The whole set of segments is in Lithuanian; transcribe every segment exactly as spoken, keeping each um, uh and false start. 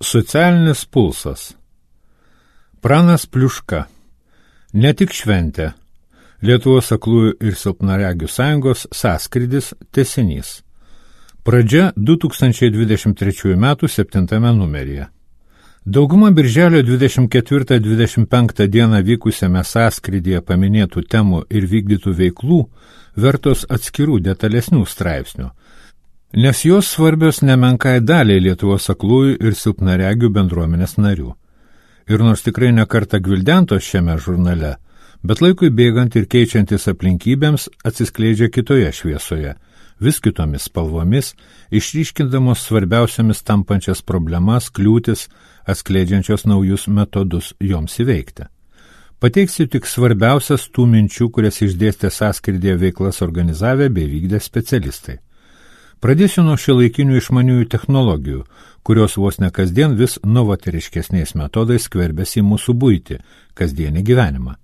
Socialinis pulsas. Pranas Pliuška. Ne tik šventė. Lietuvos aklųjų ir silpnaregių sąjungos sąskrydis tęsinys. Pradžia du tūkstančiai dvidešimt trečiųjų metų septintame numeryje. Dauguma birželio dvidešimt ketvirtą dvidešimt penktą dieną vykusiame sąskrydyje paminėtų temų ir vykdytų veiklų vertos atskirų detalesnių straipsnių, nes jos svarbios nemenkai daliai Lietuvos aklųjų ir silpnaregių bendruomenės narių. Ir nors tikrai nekartą gvildentos šiame žurnale, bet laikui bėgant ir keičiantis aplinkybėms atsiskleidžia kitoje šviesoje, vis kitomis spalvomis, išryškindamos svarbiausiamis tampančias problemas, kliūtis, atskleidžiančios naujus metodus joms įveikti. Pateiksiu tik svarbiausias tų minčių, kurias išdėstė sąskrydyje veiklas organizavę bei vykdę specialistai. Pradėsiu nuo šiuolaikinių išmaniųjų technologijų, kurios vos ne kasdien vis novatoriškesniais metodais skverbiasi į mūsų buitį, kasdienį gyvenimą.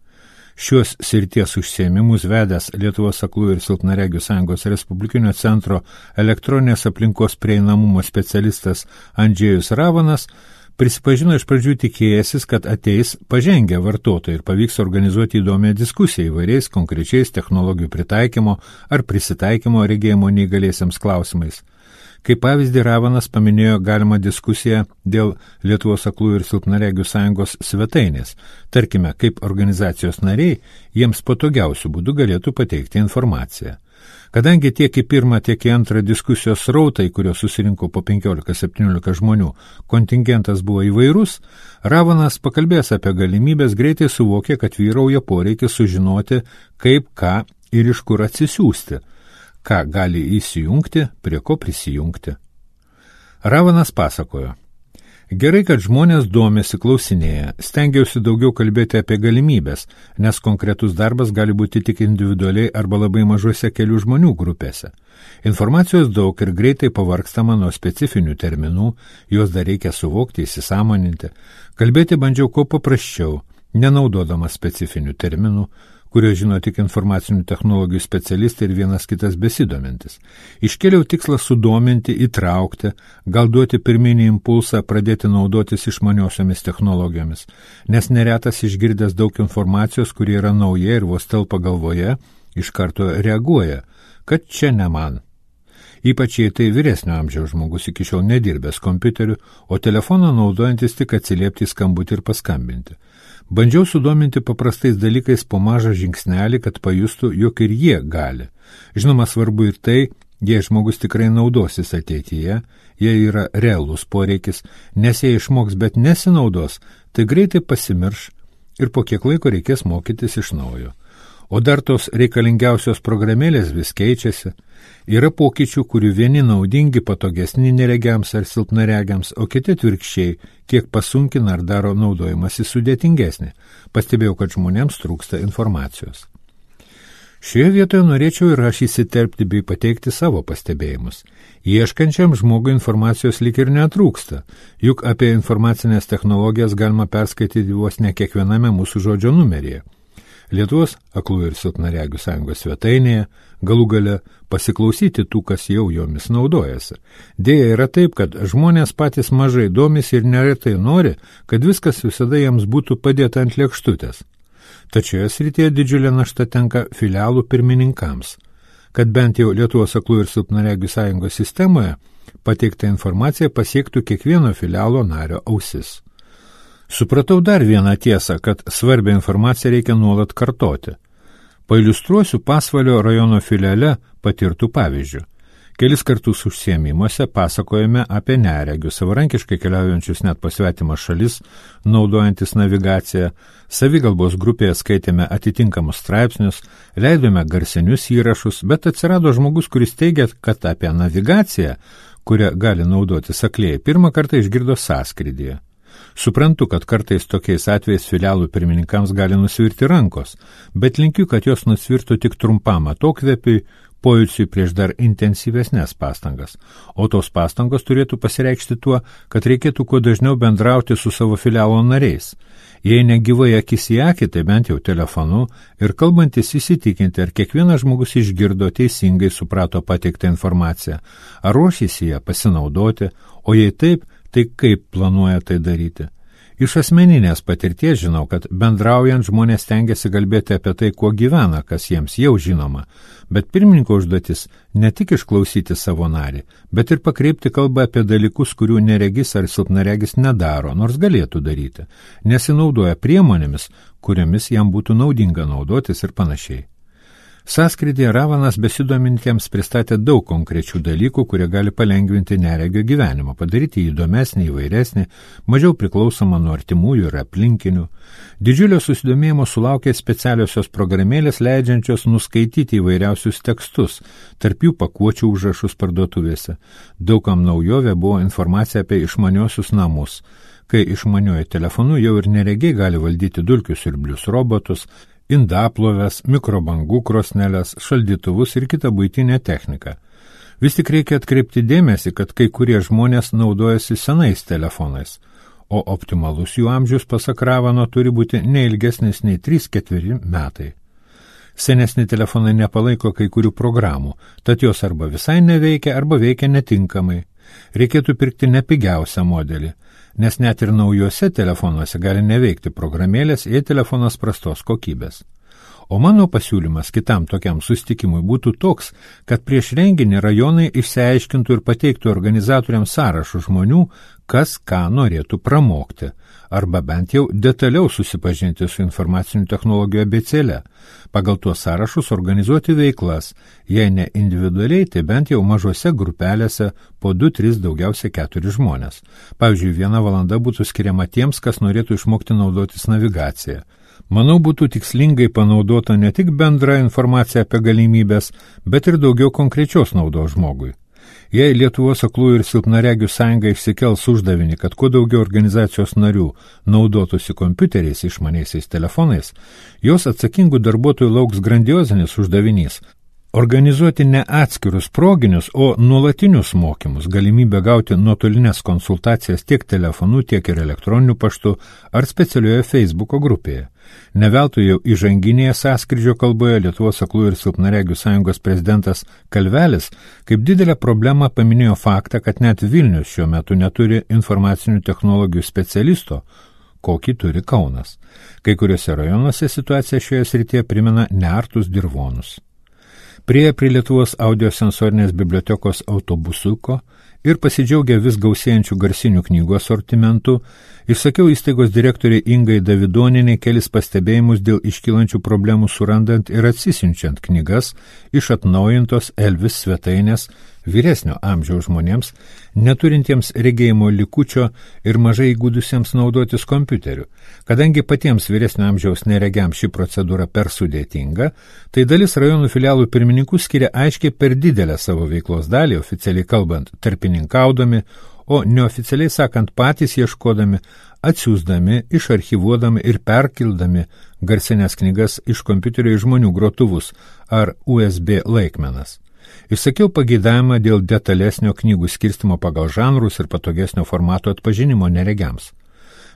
Šios srities užsiėmimus vedęs Lietuvos aklųjų ir silpnaregių sąjungos Respublikinio centro elektroninės aplinkos prieinamumo specialistas Andžejus Ravanas prisipažino iš pradžių tikėjęsis, kad ateis pažengę vartotojai ir pavyks organizuoti įdomią diskusiją įvairiais konkrečiais technologijų pritaikymo ar prisitaikymo regėjimo neįgaliesiems klausimais. Kaip pavyzdį Ravanas paminėjo galimą diskusiją dėl Lietuvos aklųjų ir silpnaregių sąjungos svetainės, tarkime, kaip organizacijos nariai jiems patogiausių būdų galėtų pateikti informaciją. Kadangi tiek į pirmą, tiek į antrą diskusijos srautai, kurios susirinko po penkiolika septyniolika žmonių, kontingentas buvo įvairus, Ravanas pakalbėjęs apie galimybės greitai suvokė, kad vyrauja poreikis sužinoti, kaip, ką ir iš kur atsisiųsti, ką gali įsijungti, prie ko prisijungti. Ravanas pasakojo: gerai, kad žmonės domisi, klausinėja, stengiausi daugiau kalbėti apie galimybės, nes konkretus darbas gali būti tik individualiai arba labai mažose kelių žmonių grupėse. Informacijos daug ir greitai pavargstama nuo specifinių terminų, juos dar reikia suvokti, įsisąmoninti. Kalbėti bandžiau kuo paprasčiau, nenaudodamas specifinių terminų, kurio žino tik informacinių technologijų specialistai ir vienas kitas besidomintis. Iškėliau tikslą sudominti, įtraukti, gal duoti pirminį impulsą pradėti naudotis išmaniosiomis technologijomis, nes neretas išgirdęs daug informacijos, kuri yra nauja ir vos telpa galvoje, iš karto reaguoja, kad čia ne man. Ypač jei tai vyresnio amžiaus žmogus iki šiol nedirbęs kompiuteriu, o telefoną naudojantis tik atsiliepti į skambutį ir paskambinti. Bandžiau sudominti paprastais dalykais po mažą žingsnelį, kad pajustų, jog ir jie gali. Žinoma, svarbu ir tai, jei žmogus tikrai naudosis ateityje, jei yra realus poreikis, nes jei išmoks, bet nesinaudos, tai greitai pasimirš ir po kiek laiko reikės mokytis iš naujo. O dar tos reikalingiausios programėlės vis keičiasi. Yra pokyčių, kurių vieni naudingi, patogesni neregiams ar silpnaregiams, o kiti atvirkščiai, kiek pasunkina ar daro naudojimąsi sudėtingesnį. Pastebėjau, kad žmonėms trūksta informacijos. Šioje vietoje norėčiau ir aš įsiterpti bei pateikti savo pastebėjimus. Ieškančiam žmogui informacijos lyg ir netrūksta, juk apie informacinės technologijas galima perskaityti vos ne kiekviename mūsų žodžio numeryje. Lietuvos aklųjų ir silpnaregių sąjungos svetainėje, galų gale pasiklausyti tų, kas jau jomis naudojasi. Deja yra taip, kad žmonės patys mažai domisi ir neretai nori, kad viskas visada jiems būtų padėta ant lėkštutės. Tačioje srityje didžiulė našta tenka filialų pirmininkams, kad bent jau Lietuvos aklųjų ir silpnaregių sąjungos sistemoje pateikta informacija pasiektų kiekvieno filialo nario ausis. Supratau dar vieną tiesą, kad svarbią informaciją reikia nuolat kartoti. Pailiustruosiu Pasvalio rajono filiale patirtų pavyzdžių. Kelis kartus užsiėmimuose pasakojame apie neregius, savarankiškai keliaujančius net po svetimas šalis, naudojantis navigaciją, savigalbos grupėje skaitėme atitinkamus straipsnius, leidome garsinius įrašus, bet atsirado žmogus, kuris teigia, kad apie navigaciją, kurią gali naudotis aklieji, pirmą kartą išgirdo sąskrydyje. Suprantu, kad kartais tokiais atvejais filialų pirmininkams gali nusvirti rankos, bet linkiu, kad jos nusvirtų tik trumpam atokvėpiui, pojūčiui prieš dar intensyvesnės pastangas. O tos pastangos turėtų pasireikšti tuo, kad reikėtų kuo dažniau bendrauti su savo filialo nariais. Jei negyvai akis į akį, tai bent jau telefonu ir kalbantis įsitikinti, ar kiekvienas žmogus išgirdo teisingai suprato pateiktą informaciją, ar ruošėsi ją pasinaudoti, o jei taip, Tai kaip planuoja tai daryti? Iš asmeninės patirties žinau, kad bendraujant žmonės stengiasi kalbėti apie tai, kuo gyvena, kas jiems jau žinoma, bet pirmininko užduotis ne tik išklausyti savo narį, bet ir pakreipti kalbą apie dalykus, kurių neregis ar silpnaregis nedaro, nors galėtų daryti, nesinaudoja priemonėmis, kuriomis jam būtų naudinga naudotis ir panašiai. Sąskrydyje Ravanas besidomintiems pristatė daug konkrečių dalykų, kurie gali palengvinti neregio gyvenimą, padaryti jį įdomesnį, įvairesnį, mažiau priklausomą nuo artimųjų ir aplinkinių. Didžiulio susidomėjimo sulaukė specialiosios programėlės leidžiančios nuskaityti įvairiausius tekstus, tarp jų pakuočių užrašus parduotuvėse. Daugam naujovė buvo informacija apie išmaniosius namus, kai išmaniuoju telefonu jau ir neregiai gali valdyti dulkių siurblius robotus, indaplovės, mikrobangų krosneles, šaldytuvus ir kitą buitinę techniką. Vis tik reikia atkreipti dėmesį, kad kai kurie žmonės naudojasi senais telefonais, o optimalus jų amžius, pasak Ravano, turi būti neilgesnis nei trys ketveri metai. Senesni telefonai nepalaiko kai kurių programų, tad jos arba visai neveikia, arba veikia netinkamai. Reikėtų pirkti nepigiausią modelį, nes net ir naujuose telefonuose gali neveikti programėlės, jei telefonas prastos kokybės. O mano pasiūlymas kitam tokiam susitikimui būtų toks, kad prieš renginį rajonai išsiaiškintų ir pateiktų organizatoriams sąrašų žmonių, kas ką norėtų pramokti, arba bent jau detaliau susipažinti su informacinių technologijų abėcėle. Pagal tuos sąrašus organizuoti veiklas, jei ne individualiai, tai bent jau mažose grupelėse po du, tris, daugiausiai keturi žmonės. Pavyzdžiui, viena valanda būtų skiriama tiems, kas norėtų išmokti naudotis navigaciją. Manau, būtų tikslingai panaudota ne tik bendra informacija apie galimybės, bet ir daugiau konkrečios naudos žmogui. Jei Lietuvos aklųjų ir silpnaregių sąjunga išsikels uždavinį, kad kuo daugiau organizacijos narių naudotųsi kompiuteriais, išmaniaisiais telefonais, jos atsakingų darbuotojų lauks grandiozinis uždavinys – organizuoti ne atskirus proginius, o nuolatinius mokymus, galimybę gauti nuotolinės konsultacijas tiek telefonu, tiek ir elektroniniu paštu ar specialioje Facebooko grupėje. Neveltui jau įžanginėje sąskrydžio kalboje Lietuvos aklųjų ir silpnaregių sąjungos prezidentas Kalvelis kaip didelę problemą paminėjo faktą, kad net Vilnius šiuo metu neturi informacinių technologijų specialisto, kokį turi Kaunas. Kai kuriuose rajonuose situacija šioje srityje primena neartus dirvonus. Priėję prie Lietuvos audiosensorinės bibliotekos autobusuko ir pasidžiaugę vis gausėjančių garsinių knygų asortimentų, išsakiau įstaigos direktoriai Ingai Davidonienei kelis pastebėjimus dėl iškylančių problemų surandant ir atsisiunčiant knygas iš atnaujintos Elvis svetainės vyresnio amžiaus žmonėms, neturintiems regėjimo likučio ir mažai įgudusiems naudotis kompiuteriu. Kadangi patiems vyresnio amžiaus neregiams ši procedūra per sudėtinga, tai dalis rajonų filialų pirmininkų skiria aiškiai per didelę savo veiklos dalį, oficialiai kalbant, tarpininkaudami, o neoficialiai sakant patys ieškodami, atsiųsdami, išarchivuodami ir perkildami garsinės knygas iš kompiuterio į žmonių grotuvus ar U S B laikmenas. Išsakiau pageidavimą dėl detalesnio knygų skirstimo pagal žanrus ir patogesnio formato atpažinimo neregiams.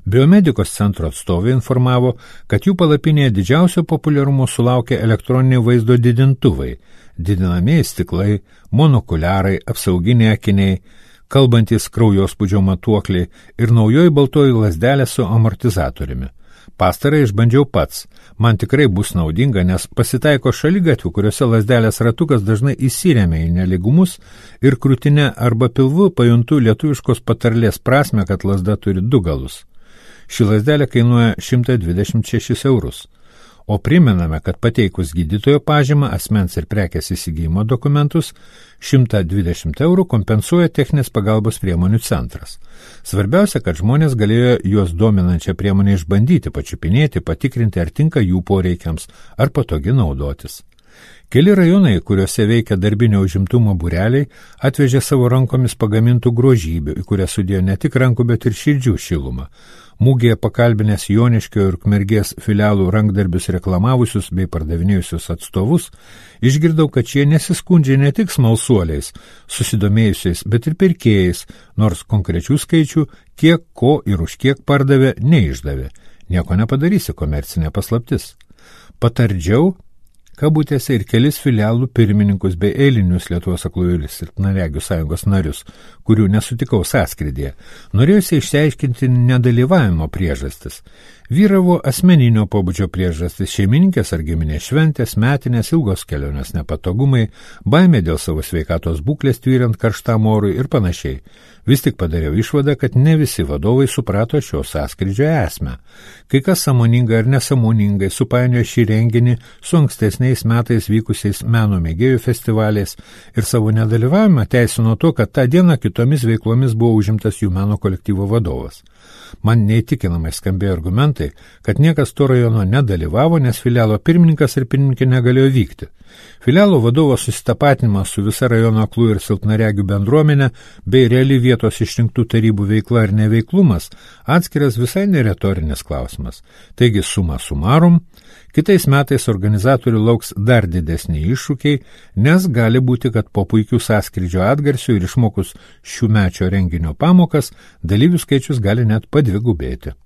Biomedikos centro atstovai informavo, kad jų palapinėje didžiausio populiarumo sulaukia elektroniniai vaizdo didintuvai, didinamieji stiklai, monokuliarai, apsauginiai akiniai, kalbantis kraujospūdžio matuokliai ir naujoji baltoji lazdelė su amortizatoriumi. Pastarą išbandžiau pats. Man tikrai bus naudinga, nes pasitaiko šaligatvių, kuriuose lazdelės ratukas dažnai įsiremia į neligumus ir krūtinę arba pilvu pajuntu lietuviškos patarlės prasme, kad lazda turi du galus. Ši lazdelė kainuoja šimtą dvidešimt šešis eurus. O primename, kad pateikus gydytojo pažymą, asmens ir prekės įsigijimo dokumentus, šimtą dvidešimt eurų kompensuoja techninės pagalbos priemonių centras. Svarbiausia, kad žmonės galėjo juos dominančią priemonę išbandyti, pačiupinėti, patikrinti, ar tinka jų poreikiams, ar patogi naudotis. Keli rajonai, kuriuose veikia darbinio užimtumo būreliai, atvežė savo rankomis pagamintų grožybių, į kurias sudėjo ne tik rankų, bet ir širdžių šilumą. Mūgėje pakalbinės Joniškio ir Ukmergės filialų rankdarbius reklamavusius bei pardavinėjusius atstovus, išgirdau, kad šie nesiskundžia ne tik smalsuoliais, susidomėjusiais, bet ir pirkėjais, nors konkrečių skaičių, kiek, ko ir už kiek pardavė, neišdavė. Nieko nepadarysi, komercinė paslaptis. Patardžiau, kabutėse ir kelis filialų pirmininkus bei eilinius Lietuvos aklųjų ir silpnaregių sąjungos narius, kurių nesutikau sąskrydyje, norėjusi išsiaiškinti nedalyvavimo priežastis. Vyravo asmeninio pobūdžio priežastis, šeimininkės ar giminės šventės, metinės, ilgos kelionės nepatogumai, baimė dėl savo sveikatos būklės tvyrant karštam orui ir panašiai. Vis tik padariau išvadą, kad ne visi vadovai suprato šio sąskrydžio esmę. Kai kas sąmoningai ar nesąmoningai supainiojo šį renginį su ankstesniais metais vykusiais meno mėgėjų festivaliais ir savo nedalyvavimą teisino to, kad tą dieną kitomis veiklomis buvo užimtas jų meno kolektyvo vadovas. Man neįtikinamai skambėjo argumentai, kad niekas to rajono nedalyvavo, nes filialo pirmininkas ir pirmininkė negalėjo vykti. Filialo vadovo susitapatinimas su visa rajono aklų ir silpnaregių bendruomenė bei reali vietos išrinktų tarybų veikla ir neveiklumas atskiras visai neretorinis klausimas. Taigi suma sumarum, kitais metais organizatorių lauks dar didesni iššūkiai, nes gali būti, kad po puikių sąskrydžio atgarsių ir išmokus šių mečio renginio pamokas, dalyvių skaičius gali net padvigubėti.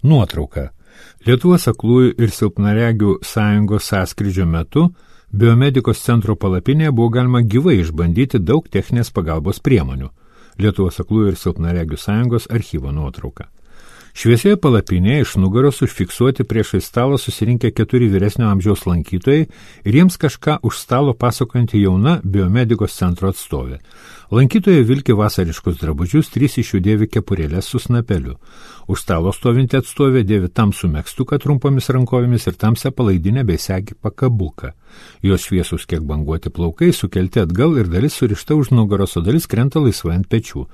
Nuotrauka. Lietuvos aklųjų ir silpnaregių sąjungos sąskrydžio metu biomedikos centro palapinėje buvo galima gyvai išbandyti daug techninės pagalbos priemonių. Lietuvos aklųjų ir silpnaregių sąjungos archyvo nuotrauka. Šviesioje palapinėje iš nugaros užfiksuoti priešai stalą susirinkę keturi vyresnio amžiaus lankytojai ir jiems kažką už stalo pasakojanti jauna biomedikos centro atstovė. Lankytojai vilki vasariškus drabužius, trys iš jų dėvi kepurėlės su snapeliu. Už stalo stovinti atstovė dėvi tamsų megztuką trumpomis rankovėmis ir tamsią palaidinę bei segį pakabuką. Jos šviesus kiek banguoti plaukai sukelti atgal ir dalis surišta už nugaros, o dalis krenta laisvai ant pečių.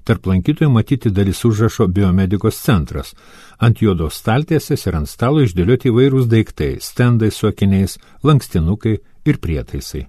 Tarp lankytojų matyti dalis užrašo biomedikos centras. Ant juodos staltiesės ir ant stalo išdėlioti įvairūs daiktai, stendai su akiniais, lankstinukai ir prietaisai.